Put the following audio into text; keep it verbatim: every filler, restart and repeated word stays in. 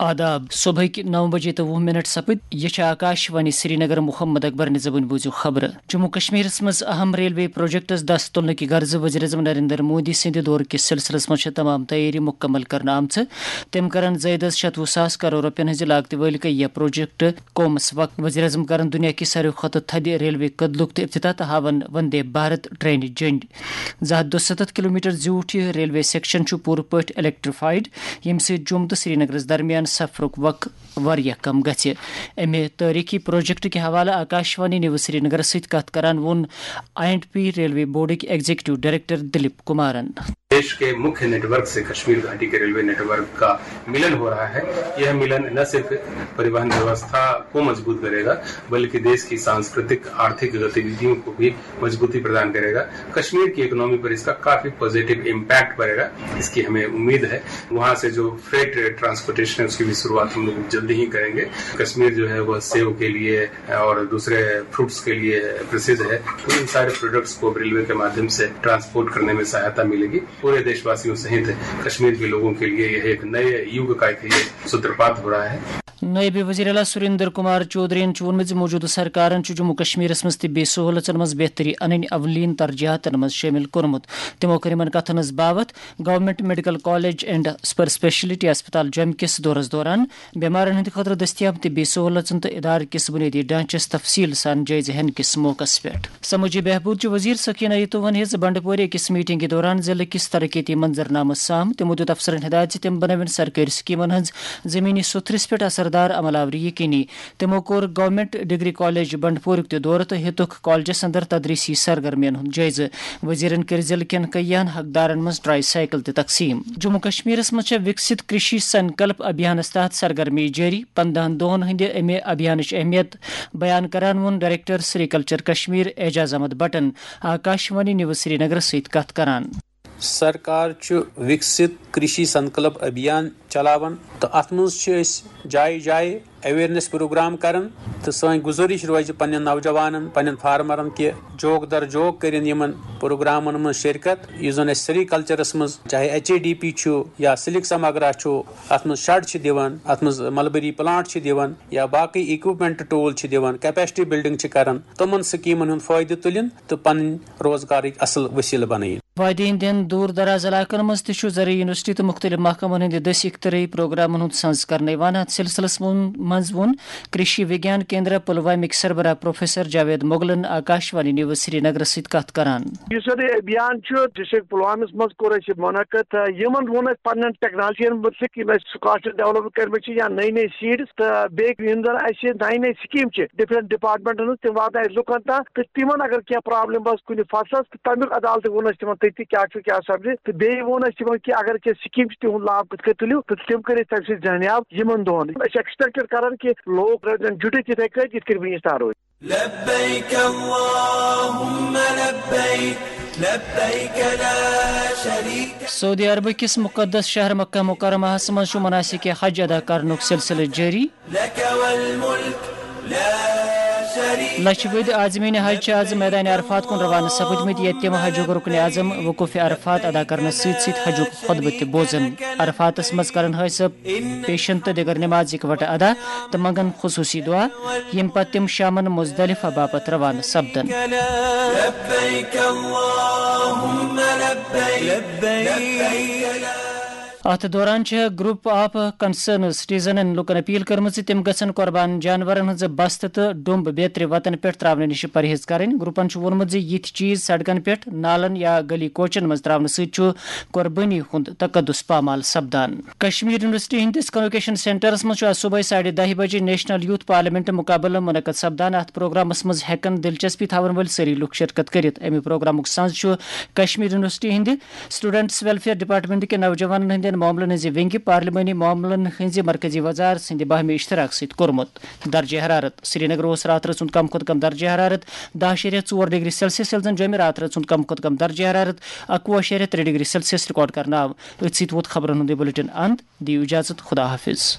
آداب۔ صبحٕکۍ نو بجے تہٕ وُہ منٹ سپٕدۍ۔ یہِ چھِ آکاش وانی سرینگر۔ محمد اکبر نِزبٕنۍ بوٗزِو خبرٕ۔ جموں کشمیرس منٛز اہم ریلوے پروجیکٹس دس تُلنہٕ کہِ غرضہٕ وزیر اعظم نریندر مودی سٕنٛدِ دورٕ کِس سلسلس منٛز چھِ تمام تیٲری مُکمل کرنہٕ آمژٕ۔ تٔمۍ کرن زٲیدس شتوُہ ساس کرور رۄپین ہٕنٛزِ لاگتہٕ وٲلۍ کیٚیہ پروجیکٹ قومس وقف۔ وزیر اعظم کرن دُنیا کہِ ساروی کھۄتہٕ تھدِ ریلوے کدلُک تہِ افتتاح تہٕ ہاون وندے بھارت ٹرینہِ جٔنڈ۔ زٕ ہتھ دُستتھ کلومیٹر زیوٗٹھ یہِ ریلوے سیکشن چھُ پوٗرٕ پٲٹھۍ الیکٹریفائیڈ، ییٚمہِ سۭتۍ جوٚم تہٕ سرینگرس درمیان سفرُک وقت واریاہ کم گژھِ۔ امہِ تٲریخی پروجیکٹ کہِ حوالہٕ آکاشوانی نیوز سرینگرس سۭتۍ کتھ کران ووٚن آئی اینڈ پی ریلوے بورڈٕکۍ ایگزیکٹو ڈائریکٹر دلیپ کمارن۔ देश के मुख्य नेटवर्क से कश्मीर घाटी के रेलवे नेटवर्क का मिलन हो रहा है। यह मिलन न सिर्फ परिवहन व्यवस्था को मजबूत करेगा, बल्कि देश की सांस्कृतिक, आर्थिक गतिविधियों को भी मजबूती प्रदान करेगा। कश्मीर की इकोनॉमी पर इसका काफी पॉजिटिव इम्पैक्ट पड़ेगा, इसकी हमें उम्मीद है। वहाँ से जो फ्रेट ट्रांसपोर्टेशन है, उसकी भी शुरुआत हम लोग जल्दी ही करेंगे। कश्मीर जो है, वह सेव के लिए और दूसरे फ्रूट्स के लिए प्रसिद्ध है। तो इन सारे प्रोडक्ट्स को रेलवे के माध्यम से ट्रांसपोर्ट करने में सहायता मिलेगी। पूरे देशवासियों सहित कश्मीर के लोगों के लिए यह एक नए युग का एक ये सूत्रपात हो रहा है। نٲیِب وزیر اعلیٰ سریندر کمار چودھرین چھُ ووٚنمُت زِ موٗجوٗدٕ سرکارن چھُ جموں کشمیرس منٛز طبی سہوٗلژن منٛز بہتری انٕنۍ اولین ترجیحاتن منٛز شٲمِل کوٚرمُت۔ تِمو کٔر یِمن کتھن ہٕنٛز باوتھ government medical college and super speciality ہسپتال جوٚمہِ کِس دورس دوران بیمارن ہٕنٛدِ خٲطرٕ دٔستیاب طبی سہوٗلژن تہٕ ادارٕ کِس بنیٲدی ڈھانچس تفصیل سان جٲیزٕ ہٮ۪نہٕ کِس موقعس پٮ۪ٹھ۔ سمٲجی بہبود چہِ وزیر سکینہ یتو ون ہیٚژ بنڈپورِ أکِس میٹنگ کہِ دوران ضلعہٕ کِس ترقیتی منظرنامس سام۔ تِمو دیُت افسرن ہدایت زِ تِم بنٲوِن سرکٲرۍ سکیمن ہٕنٛز زمینی سطحس پٮ۪ٹھ اثردار عمل آوری یقینی۔ تِمو کوٚر گورنمنٹ ڈگری کالج بنڈپورُک تہِ دورٕ تہٕ ہیٚتُکھ کالجس اندر تدریسی سرگرمین ہُنٛد جٲیزٕ۔ وزیرن کٔرۍ ضلعہٕ کٮ۪ن کیٚیہن حقدارن منٛز ٹرائی سائیکل تہِ تقسیم۔ جموں کشمیرس منٛز چھےٚ وکست کرشی سنکلپ ابھیانس تحت سرگرمی جٲری۔ پندہن دۄہن ہٕنٛدِ امہِ ابھیانٕچ اہمیت بیان کران ووٚن ڈائریکٹر سری کلچر کشمیر اعجاز احمد بٹن آکاشوانی نیوز سرینگرس سۭتۍ کتھ کران۔ سرکار چھُ وکست کرشی سنکلپ ابھیان چلاوان تہٕ اتھ منٛز چھِ أسۍ جایہِ جایہِ اویئرنیس پروگرام کران تہٕ سٲنۍ گُزٲرِش روزِ پننٮ۪ن نوجوانن، پننٮ۪ن فارمرن کہِ جوک در جوک کٔرِن یِمن پروگرامن منٛز شرکت، یُس زن اَسہِ سری کلچرس منٛز چاہے ایچ اے ڈی پی چھُ یا سلک سماگرا چھُ، اتھ منٛز شڈ چھِ دِوان، اتھ منٛز ملبری پلانٹ چھِ دِوان یا باقٕے اکوپمنٹ ٹول چھِ دِوان، کیپیسٹی بلڈنگ چھِ کران، تِمن سکیمن ہُنٛد فٲیدٕ تُلِن تہٕ پنٕنۍ روزگارٕکۍ اصل وسیلہٕ بنٲیِن۔ وادی ہٕنٛدٮ۪ن دوٗر دراز علاقن منٛز تہِ چھُ زرعی یونیورسٹی تہٕ مُختٔلِف محکمن ہٕنٛدِ دٔسۍ اختراعی پروگرامن ہُنٛد سنز کرنہٕ یِوان۔ اتھ سلسلس منٛز ووٚن کرشی وگیان کیندرا پلوامٕکۍ سربراہ پروفیسر جاوید مغلن آکاشوانی نیوز سرینگرس سۭتۍ کتھ کران۔ یُس زن یہِ ابھیان چھُ ڈسٹرکٹ پلوامس منٛز کوٚر اَسہِ یہِ منعقد، تہٕ یِمن ووٚن اَسہِ پننٮ۪ن ٹیکنالوجین مُتعلق، یِم اَسہِ سکاسٹر ڈیولپ کٔرمٕتۍ چھِ یا نٔے نٔے سیٖڈس، تہٕ بیٚیہِ یِم زن اَسہِ نَیہِ نَیہِ سکیٖم چھِ ڈفرنٹ ڈپارٹمنٹن ہٕنٛز، تِم واتناوِ اَسہِ لُکن تام، تہٕ تِمن اگر کینٛہہ پرابلم آسہِ کُنہِ فصلس، تہٕ تمیُک عدالتہٕ ووٚن اَسہِ تِمن تٔتی کیٛاہ چھُ کیٛاہ سپدِ، تہٕ بیٚیہِ ووٚن اَسہِ تِمن کہِ اگر کینٛہہ سکیٖم چھِ تِہُنٛد لابھ کِتھ کٔنۍ تُلِو، تہٕ تِم کٔرۍ أسۍ تمہِ سۭتۍ زٲنیاب یِمن دۄہن۔ أسۍ چھِ ایکسپیکٹڈ کران کہِ لوٗکھ روزن جُٹِتھ یِتھے کٔنۍ یِتھ کٔنۍ وٕنِس تام روٗدۍ۔ لبیک اللہم لبیک، لبیک لا شریک۔ سعودی عربہٕ کِس مُقدس شہر مکہ مکرمہس منٛز چھُ مناسک حج ادا کرنُک سلسلہٕ جٲری۔ لک والملک لا شریک۔ لچھ بٔدۍ عازمین حج چھِ آز میدان عرفات کُن روانہٕ سپٕدمٕتۍ، ییٚتہِ تِم حجُک رکن اعظم وقوف عرفات ادا کرنس سۭتۍ سۭتۍ حجُک خطبہٕ تہِ بوزن۔ عرفاتس منٛز کرن حٲج صٲب پیشن تہٕ دِگر نماز اکوٹہٕ ادا تہٕ منگن خصوصی دعا، ییٚمہِ پتہٕ تِم شامن مزدلفہ باپتھ روانہٕ سپدن۔ لبیک اللہم لبیک، لبیک۔ اتھ دوران چھِ گروپ آف کنسرن سٹیزنن لوٗکن اپیل کٔرمٕژ زِ تِم گژھن قربان جانورن ہٕنٛز بستہٕ تہٕ ڈوٚمب بیترِ وتن پٮ۪ٹھ تراونہٕ نِش پرہیز کرٕنۍ۔ گروپن چھُ ووٚنمُت زِ یِتھۍ چیز سڑکن پٮ۪ٹھ، نالن یا گلی کوچن منٛز تراونہٕ سۭتۍ چھُ قربٲنی ہُنٛد تقدس پامال سپدان۔ کشمیر یونیورسٹی ہٕنٛدِس کنووکیشن سینٹرس منٛز چھُ آز صبحٲے ساڑِ دَہہِ بجہِ نیشنل یوتھ پارلیمنٹ مُقابلہٕ منعقد سپدان۔ اتھ پروگرامس منٛز ہٮ۪کن دلچسپی تھاون وٲلۍ سٲری لوٗکھ شرکت کٔرِتھ۔ امہِ پروگرامُک سنز چھُ کشمیر یونیورسٹی ہٕنٛدِ اسٹوڈنٹس ویلفیئر ڈپارٹمنٹ کہِ نوجوانن ہٕنٛدٮ۪ن معاملن ہٕنٛزِ ونگہِ پارلیمانی معاملن ہٕنٛزِ مرکزی وزارت سٕنٛدِ باہمی اشتراک سۭتۍ کوٚرمُت۔ درجہ حرارت۔ سرینگر اوس راتھ رٕژ ہُنٛد کم کھۄتہٕ کم درجہ حرارت دَہ اَشاریہ ژور ڈگری سیلسیس، ییٚلہِ زن جوٚمہِ راتھ رٕژ ہُنٛد کم کھۄتہٕ کم درجہ حرارت اَکوُہ اَشاریہ ترٛےٚ ڈگری سیلسیس ریکارڈ کرنہٕ آو۔ أتھۍ سۭتۍ ووت خبرن ہُنٛد یہِ بلیٹن اند۔ دِیِو اجازت، خدا حافظ۔